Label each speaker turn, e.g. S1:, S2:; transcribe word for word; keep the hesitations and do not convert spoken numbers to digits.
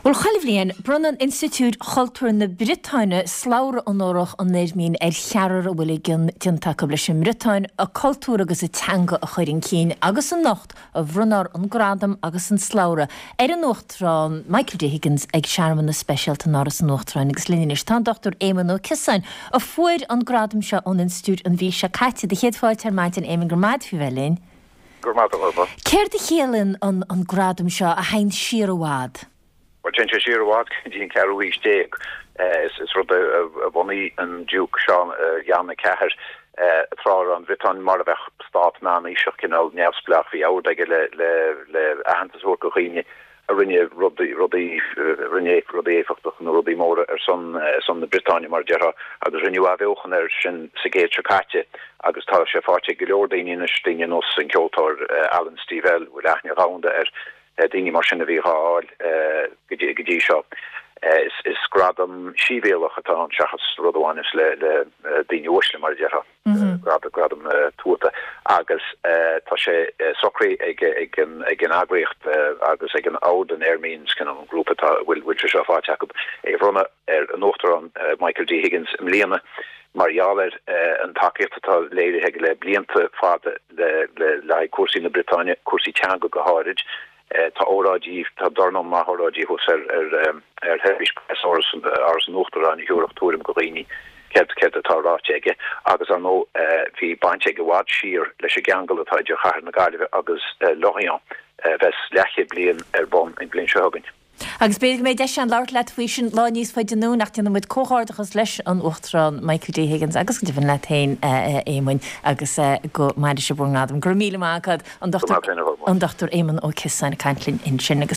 S1: Bhuel chuile bhliain, bronnann Institiúid Chultúir na Briotáine slabhra onórach an Eirmín ar cheathrar a bhfuil a gcion déanta acu leis an mBriotáin, a cultúr agus a teanga a chur chun cinn agus anocht a bhronnfar an gradam agus an slabhra ar an Uachtarán Michael D. Higgins ag searmanas speisialta in Áras an Uachtaráin agus linn anois tá an Dr Éamonn Ó Ciosáin a fuair an gradam seo ón Institiúid an mhí seo caite. Do chéad fáilte ar maidin Éamonn go maith faoi bheith linn.
S2: Gur maith
S1: Céard a chiallaíonn an an gradam seo a théann siar i bhfad?
S2: Well téann sé siar i bhfad go dtí an ceathrú haois déag is rud a bhunaigh an Diúc Seán Yann a ceathair tráth an Bhriotáin mar a bheadh stát meánaoiseach cineál neamhspleách bhí ord aige le le le aitheantas a thabhairt do dhaoine a rinne rudaí rudaí rinne rudaí éifeachtach nó rudaí móra ar son son na Briotáine mar a déarfá agus rinneadh athbheochan air sin sa gcéad seo caite agus tá sé faighte go leor daoine anois daoine ar nós an ceoltóir Alan Stivell bhfuil aithne dhomhanda air daoine mar sin a bhí á fháil go dtí seo. Is is gradam sibhialtach atá ann seachas rud a bhaineas le le daoine uaisle mar a déarfá gradam gradam tuata agus tá sé socraithe ag ag an ag an eagraíocht agus ag an Ord an Eirmín sin an grúpa atá bhfuil bhfuil sé seo faighte acu é a bhronnadh ar an Uachtarán Michael D. Higgins i mbliana mar gheall ar an tacaíocht atá léirithe aige le blianta fada le le le cúrsaí na Briotáine, cúrsaí teanga go háirid. Tá óráidí tá dornán maith óráidí thuas ar ar ar sheirbhís preas Áras Áras an Uachtaráin a thabharfadh tuairim go dhaoine céard céard atá ráite aige agus ar ndóigh bhí baint aige i bhfad siar leis an gceangal atá idir chathair na Gaillimhe agus Lorient bheas leathchéad bliain ar bun an bhliain seo chugainn.
S1: Agus b'fhéidir go mbeidh deis againn labhairt leat faoi sin lá níos faide anonn ach déanann muid comhghairdeachas leis an Uachtarán Michael D. Higgins agus go deimhin leat féin Éamoinn agus go maire sibh bhur ngradam. Go raibh míle maith agat an Dr an Dr Éamonn Ó Ciosáin ag caint linn ansin agus.